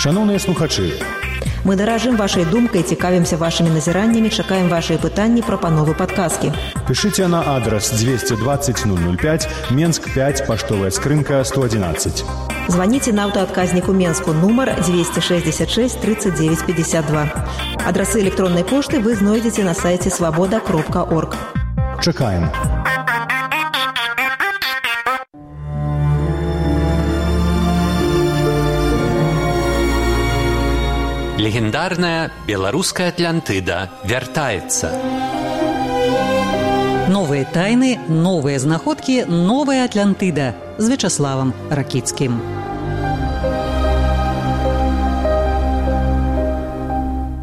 Шановныя слухачы, мы даражым вашай думкай, цікавімся вашымі назіраннямі, чакаем вашыя пытанні, прапановы, падказкі. Пішыце на адрас 220 005, Менск 5, паштовая скрынка 111. Званіце на аўтаадказнік у Менску, нумар 266 39 52. Адрасы электроннай пошты вы знойдзеце на сайце свабода.орг. Чакаем. Легендарная беларуская Атлантыда вяртаецца. Новыя тайны, новыя знаходкі, новая Атлантыда з Вячаславам Ракіцкім.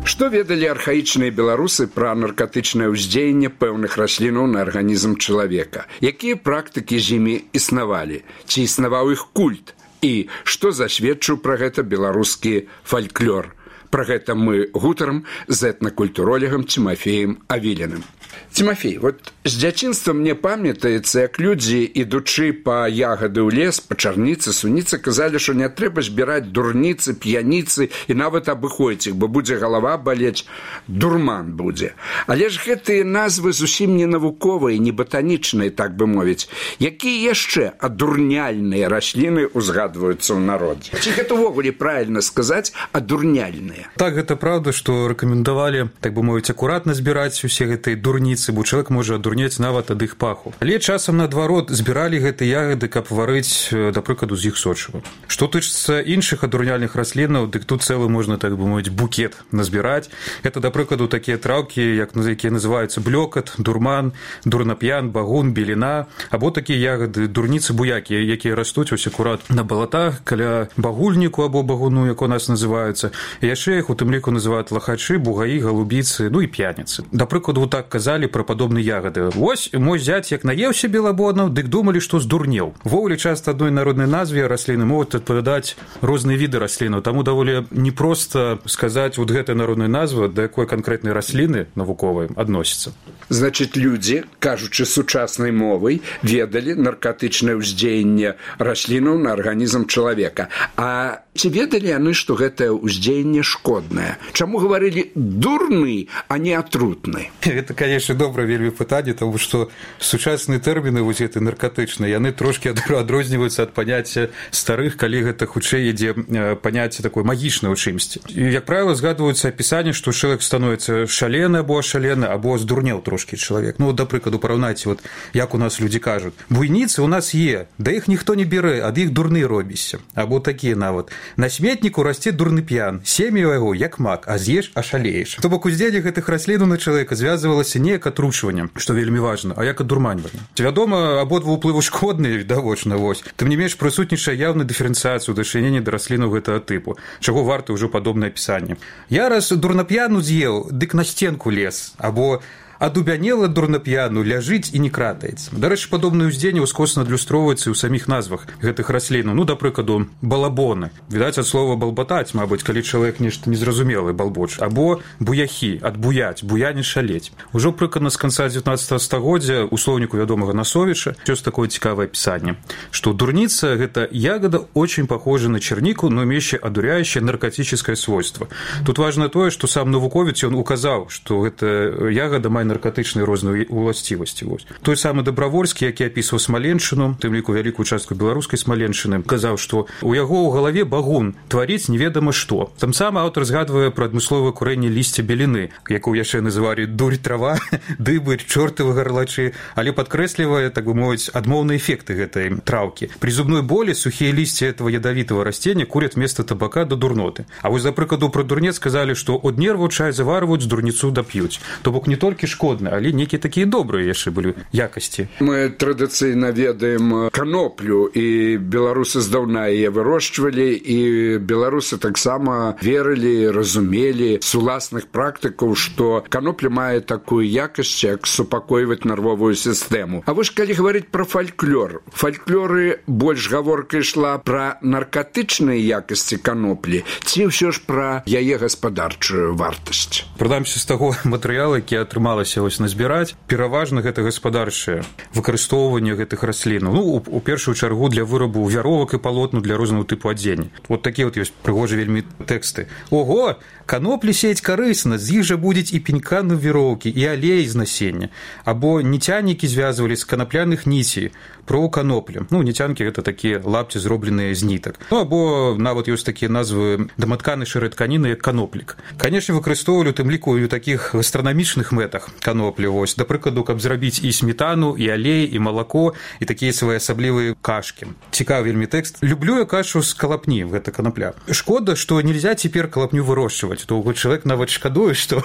Што ведалі архаічныя беларусы пра наркатычнае ўздзеянне пэўных раслінаў на арганізм чалавека? Якія практыкі з імі існавалі? Ці існаваў іх культ? І што засведчыў пра гэта беларускі фальклор? Пра гэта мы гутарам з этнакультуролегам Тимофеем Авіліным. Тимофей, вот з дзяцінства мне памятаецца, як людзі, ідучы па ягады ў лес, па чарніцы, суніцы, казалі, што не трэба збіраць дурніцы, п'яніцы і нават абыходзіць іх, бо будзе галава балець, дурман будзе. Але ж гэтыя назвы зусім не навуковыя, не батанічныя, так бы мовіць. Якія яшчэ адурняльныя расліны узгадваюцца ў народзе? Ці гэта ўвогуле правільна сказаць адурняльныя? Так, гэта правда, што рэкамендавалі, так бы мовіць, акуратна збіраць усе гэтыя дурніцы, бо чалавек можа адурнець нават ад іх паху. Але часам, наадварот, збіралі гэтыя ягады, каб варыць, да прыкладу, з іх сочыва. Што тычыцца іншых адурняльных раслінаў, дык тут цэлы можна, так бы мовіць, букет назбіраць. Гэта, да прыкладу, такія траўкі, якія называюцца блёкат, дурман, дурнап'ян, багун, беліна, або такія ягады, дурніцы-буякі, якія растуць ось акурат на балатах, каля багульніку або багуну, як у нас называюцца. І яшчэ іх у тым ліку называюць лахачы, бугаі, галубіцы, ну і п'яніцы. Да прыкладу, так казалі пра падобныя ягады. Вось мой зяць, як наеўся белабоднаў, дык думалі, што здурнеў. Вовлі часта адной народнай назве расліны могуць адпавядаць розныя віды раслінаў, таму даволі непроста сказаць вот гэтай народнай назвы, да якой канкрэтнай расліны навуковай адносіцца. Значыць, людзі, кажучы сучаснай мовай, ведалі наркатычнае ўздзеянне раслінаў на арганізм чалавека. А ці ведалі яны, што гэтае ўздзеянне шкоднае? Чаму гаварылі дурны, а не атрутны? Гэта, конечно, добрае вельмі пытанне, тому што сучасныя тэрміны вось гэты наркатычныя, яны трошкі адрозніваюцца ад паняцця старых, калі гэта хутчэй ідзе паняцце такое магічнае ў чымсьці. І, як правіла, згадваюцца апісанне, што чалавек становіцца шалены або ашалены, або здурнеў трошкі чалавек. Ну, да прыкладу, параўнайце, вот, як у нас людзі кажуць. Буйніцы у нас є, да іх ніхто не бярэ, ад іх дурны робіся. Або такія нават. На сметніку расце дурны п'ян, сем'я яго як мак, а з'еш ашалееш. То бок уздзеянне гэтых раслінаў на чалавека звязвалася не як атручваннем, што вельмі важна, а як адурманьванне. Вядома, абодва ўплыву шкодныя, відавочна, вось. Тым не менш, прысутнічае яўная дыферэнцыяцыя ў дачыненні да раслінаў гэтага тыпу, чаго варта ўжо падобнае апісанне. Я раз дурнап'яну з'еў, дык на сценку лез, або адубянела дурнап'яну, ляжыць і не кратаецца. Дарэчы, падобныя ўздзеянні ўскосна адлюстроўваюцца і ў саміх назвах гэтых раслінаў. Ну, да прыкладу, балабоны. Відаць, ад слова балбатаць, мабыць, калі чалавек нешта незразумелы балбоч. Або буяхі, адбуяць, буяне шалець. Ужо прыкладна з канца 19 стагоддзя у слоўніку вядомага Насовіча ёсць такое цікавае апісанне, што дурніца – гэта ягода очень похожа на чернику, но имеющая одуряющее наркотическое свойство. Тут важно тое, што сам навуковец ён указаў, што гэта ягода мае наркатычныя розныя уласцівасці. Той самы Дабравольскі, які апісваў Смаленшчыну, тым ліку вялікую частку беларускай Смаленшчыны, казаў, што у яго ў галаве багун тваріць неведама што. Там сам аўтар згадвае пра адмысловае курэнне лісця беліны, якую яшчэ называлі дурь трава, дыбы, чортавы гарлачы, але падкрэслівае, так бы мовіць, адмоўныя эфекты гэтай траўкі. При зубной боли сухие листья этого ядовитого растения курят вместо табака до дурноты. А вось, за прыкладу, пра дурнец сказалі, што од нерваў чай заварваюць, дурніцу дап'юць. То бок не толькі шкодны, але нейкія такія добрыя яшчэ былі якасці. Мы традыцыйна ведаем каноплю, і беларусы здаўна яе вырошчвалі, і беларусы таксама верылі, разумелі з уласных практыкаў, што канопля мае такую якасць, як супакойваць нервовую сістэму. А вы ж калі гаварыць пра фальклор, фальклоры больш гаворка ішла пра наркатычныя якасці каноплі, ці ўсё ж пра яе гаспадарчую вартасць? Прынамсі з таго матэрыялу, які атрымалася атрымалася назбіраць. Пераважна гэта гаспадарчае выкарыстоўванне гэтых раслін. У першую чаргу для вырабу вяровак і палотну для рознага тыпу адзення. Такія ёсць прыгожыя вельмі тэксты. Ого, каноплі сеять карысна, з іх жа будзе і пенька на віроўкі, і алей з насення. Або ніцянікі звязвалі з канапляных ніцей про каноплі. Ніцянкі гэта такія лапці, зробленыя з нітак. Або нават ёсць такія назвы даматканай шэрай тканіны, як каноплік. Канешне, выкарыстоўвалі тым ліку і ў такіх гастранамічных мэтах каноплі. Да прыкладу, каб зрабіць і сметану, і алей, і малако, і такія своеасаблівыя кашкі. Цікавы вельмі тэкст. Люблю я кашу з калапні, гэта канапля. Шкода, што нельзя цяпер калапню вырошчваць. То чалавек нават шкадуе, што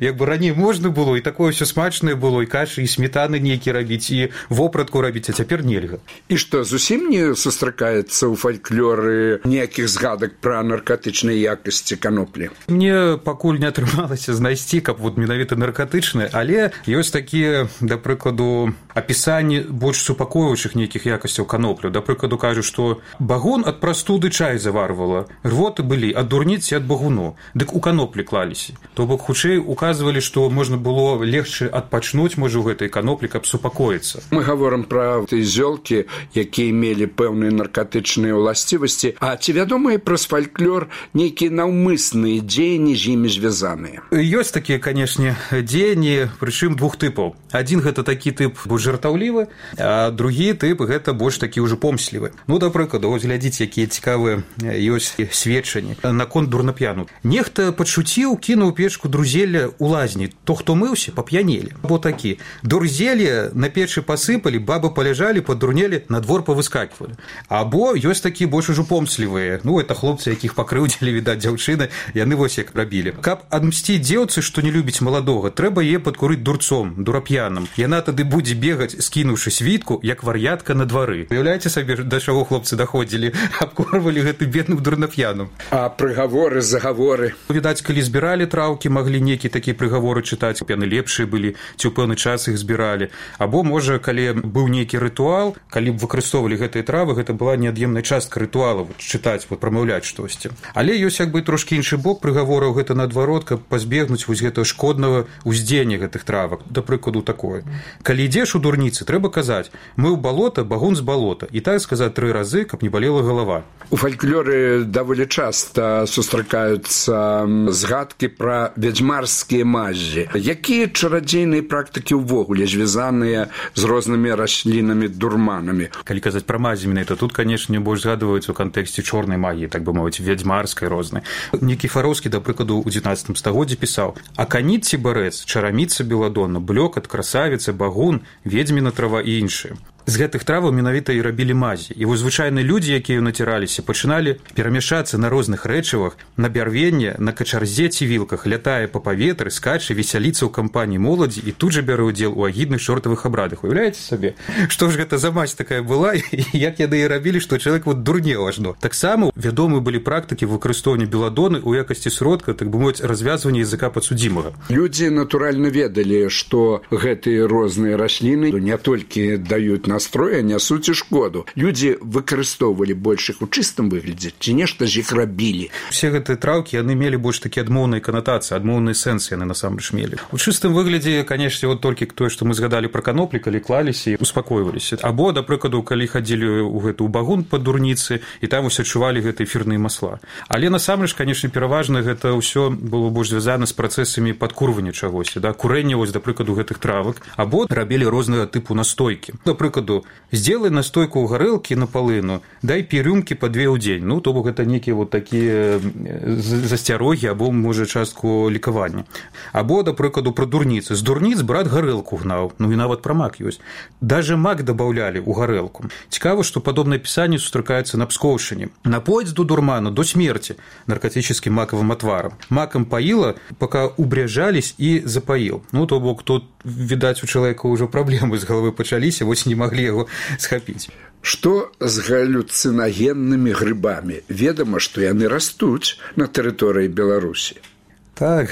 як бы раней можна было, і такое ўсё смачнае было, і кашы, і сметаны нейкі рабіць, і вопратку рабіць, а цяпер нельга. І што, зусім не сустракаецца ў фальклоры ніякіх згадак пра наркатычныя якасці каноплі? Мне пакуль не атрымалася знайсці, каб менавіта наркатычныя, але ёсць такія, да прыкладу, апісанні больш супакоюючых нейкіх якасцяў каноплю. Да прыкладу, кажу, што багун ад прастуды чай заварвала, рвоты былі ад дурніцы, ад багуну, дык у каноплі клаліся. То бок хутчэй указвалі, што можна было легчы адпачнуць, можа, у гэтай каноплі, каб супакоіцца. Мы гаворым пра зёлкі, якія мелі пэўныя наркатычныя ўласцівасці, а ці вядомыя праз фальклор нейкія наўмысныя дзеянні з імі звязаныя? Ёсць такія, канешне, дзеянні, прычым двух тыпаў. Адзін гэта такі тып больш жартаўлівы, а другі тып гэта больш такі ўжо помслівы. Да прыкладу, глядзіце, якія цікавыя ёсць сведчанні наконт дурнап'яну. Нехта падшуціў, кінуў печку друзелля ў лазні. То, хто мыўся, пап'янелі. Або такі. Дурзелле на печы пасыпалі, бабы паляжалі, падурнелі, на двор павыскакивалі. Або ёсць такія больш ужо помслівыя. Это хлопцы, якіх пакрыўдзілі, відаць, дзяўчыны, яны вось як рабілі. Каб адмсціць дзеўцы, што не любіць маладога, трэба яе падкурыць дурцом, дурап'яным. Яна тады будзе бегаць, скінуўшы світку, як вар'ятка на двары. Уяўляеце сабе, да чаго хлопцы даходзілі, абкорвалі гэтым бедным дурнап'яным. А прыгаворы, загаворы? Відаць, калі збіралі траўкі, маглі нейкія такія прыгаворы чытаць, яны лепшыя былі, ці ў пэўны час іх збіралі. Або, можа, калі быў нейкі рытуал, калі б выкарыстоўвалі гэтыя травы, гэта была неад'емная частка рытуала, чытаць, прамаўляць штосьці. Але ёсць як бы трошкі іншы бок прыгавораў, гэта наадварот, каб пазбегнуць вось гэтага шкоднага ўздзеяння гэтых травак. Да прыкладу, такое. Калі ідзеш у дурніцы, трэба казаць: мы ў балота, багун з балота. І так сказаць 3 разы, каб не балела галава. У фальклоры даволі часта сустракаюцца згадкі пра вядзьмарскія мазі. Якія чарадзейныя практыкі ўвогуле звязаныя з рознымі раслінамі, дурманамі? Калі казаць пра мазі менавіта, тут, канешне, больш згадваюцца ў кантэксце чорнай магіі, так бы мовіць, вядзьмарскай рознай. Никифоровскі, да прыкладу, у 19 стагоддзі пісаў: аканіт ці барэц, чараміца беладонна, блёкат, красавіца, багун, ведзьміна трава і іншыя. З гэтых траваў менавіта і рабілі мазі. І вось звычайныя людзі, якія націраліся, пачыналі перамяшацца на розных рэчывах, на бярвенне, на качарзе ці вілках, лятае па паветры, скача, весяліцца ў кампаніі моладзі і тут жа бярэ ўдзел у агідных чортавых абрадах. Уяўляеце сабе, што ж гэта за мазь такая была, і як яны і рабілі, што чалавек дурнеў ажно. Таксама вядомыя былі практыкі выкарыстоўвання беладоны ў якасці сродка, так бы мовіць, развязвання языка падсудзімага. Людзі, натуральна, ведалі, што гэтыя розныя расліны не толькі даюць настроя, нясуць і шкоду. Людзі выкарыстоўвалі больш іх у чыстым выглядзе, ці нешта з іх рабілі. Усе гэтыя траўкі, яны мелі больш такі адмоўныя канатацыі, адмоўныя сэнсы яны насамрэч мелі. У чыстым выглядзе, канешне, толькі тое, што мы згадалі пра каноплі, калі клаліся і успакойваліся. Або, да прыкладу, калі хадзілі ў гэту багун па дурніцы, і там усе чувалі гэтыя эфірныя масла. Але насамрэч, канешне, пераважна гэта ўсё было больш звязана з працэсамі падкурвання чагосьці, курэння, да прыкладу, гэтых травак, або рабілі рознага тыпу настойкі. Да прыкладу, сделай настойку ў гарэлкі на палыну, дай рюмкі па 2 ў дзень. То бок гэта нейкія такія засцярогі, або, можа, частку лікавання. Або, да прыкладу, пра дурніцы. З дурніц брат гарэлку гнаў, і нават пра мак ёсць. Даже мак дабаўлялі ў гарэлку. Цікава, што падобнае пісанне сустракаецца на Пскоўшчыне. Напоіць до дурману, до смерти наркотическим маковым отваром. Маком поила, пока убряжались, и запоил. То бок, тут, видать, у человека уже проблемы с головой пачаліся, вось не могли его схапіць. Што з галюцинагеннымі грыбамі? Ведама, што яны растуць на тэрыторыі Беларусі. Так,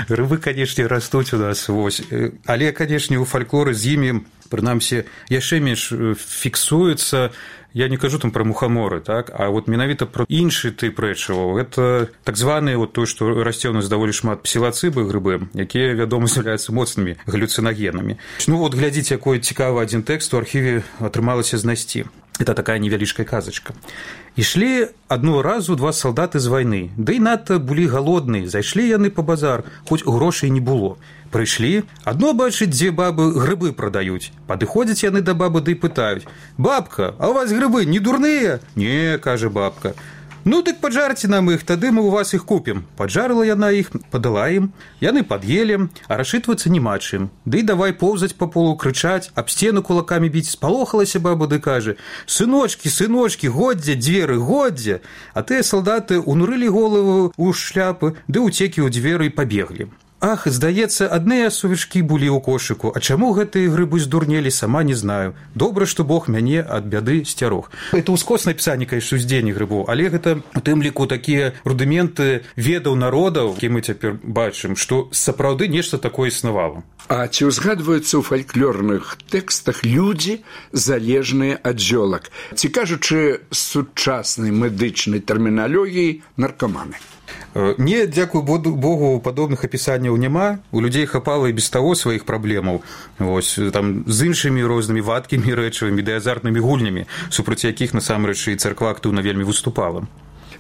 грыбы, канешне, растуць у нас, вось. Але, канешне, у фальклоры з імі прынамсі яшчэ менш фіксуецца. Я не кажу там пра мухаморы, так, а вот менавіта пра іншы тып рэчываў. Гэта так званыя вот тое, што расце ў нас даволі шмат псілацыбы, грыбы, якія, вядома, з'яўляюцца моцнымі галюцинагенамі. Ну вот глядзіце, якой цікавы адзін тэкст у архіве атрымалася знайсці. Это такая невялічкая казачка. Ішлі адного разу два салдаты з вайны, ды і надта былі галодныя, зайшлі яны па базар, хоць грошай не было. Прыйшлі, адно бачыць, дзе бабы грыбы прадаюць. Падыходзяць яны да бабы ды пытаюць: «Бабка, а у вас грыбы не дурныя?» «Не», кажа бабка. «Ну, дык паджарце нам іх, тады мы у вас іх купім». Паджарыла яна іх, падала ім, яны пад'елі, а расчытвацца няма чым. Ды давай поўзаць па полу, крычаць, аб сцену кулакамі біць. Спалохалася баба, ды кажа: «Сыночкі, сыночкі, годзе, дзверы, годзе». А тыя салдаты унурылі голову ў шляпы, ды ўцекі ў дзверы і пабеглі. Ах, здаецца, адныя сувечкі былі ў кошыку, а чаму гэтыя грыбы здурнелі, сама не знаю. Добра, што Бог мяне ад бяды сцярог. Это ўскоснае пісанне, конечно, уздзеяння грыбоў, але гэта у тым ліку такія рудыменты ведаў народаў, які мы цяпер бачым, што сапраўды нешта такое існавала. А ці ўзгадваюцца ў фальклорных тэкстах людзі, залежныя ад зёлак? Ці кажучы сучаснай медычнай тэрміналогіі, наркаманы? Не, дзякуй Богу, падобных апісанняў няма. У людзей хапала і без таго сваіх праблемаў. Вось, там, з іншымі рознымі вадкімі рэчывамі ды азартнымі гульнямі, супраць якіх, насамрэч, і царква актыўна вельмі выступала.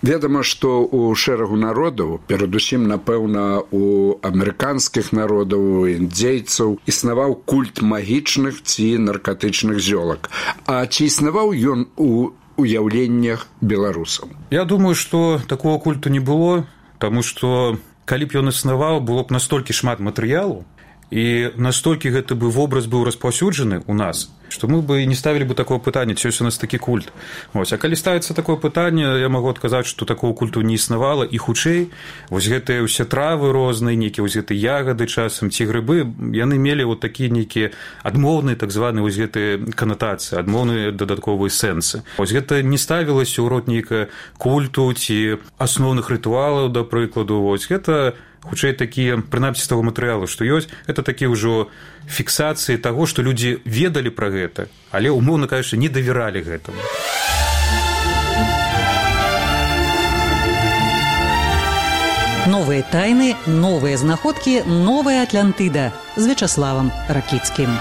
Вядома, што ў шэрагу народаў, перадусім, напэўна, у амерыканскіх народаў, індзейцаў, існаваў культ магічных ці наркатычных зёлак. А ці існаваў ён у уяўленнях беларусаў? Я думаю, што такого культу не было, таму што калі б ён існаваў, было б настолькі шмат матэрыялу, і настолькі гэты бы вобраз быў распаўсюджаны ў нас, што мы бы не ставілі бы такого пытання, ці ёсць у нас такі культ. Вось, а калі ставіцца такое пытанне, я магу адказаць, што такого культу не існавала, і хутчэй вось гэтыя ўсе травы розныя, нейкія вось гэтыя ягады часам ці грыбы, яны мелі вот такія нейкія адмоўныя, так званыя вось гэтыя канатацыі, адмоўныя дадатковыя сэнсы. Вось гэта не ставілася ў род нейкага культу ці асноўных рытуалаў, да прыкладу. Вось гэта хутчэй такія, прынамсі з таго матэрыялу, што ёсць, это такія ўжо фіксацыі таго, што людзі ведалі пра гэта, але, умоўна кажучы, не давяралі гэтаму. Новыя тайны, новыя знаходкі, новая Атлантыда з Вячаславам Ракіцкім.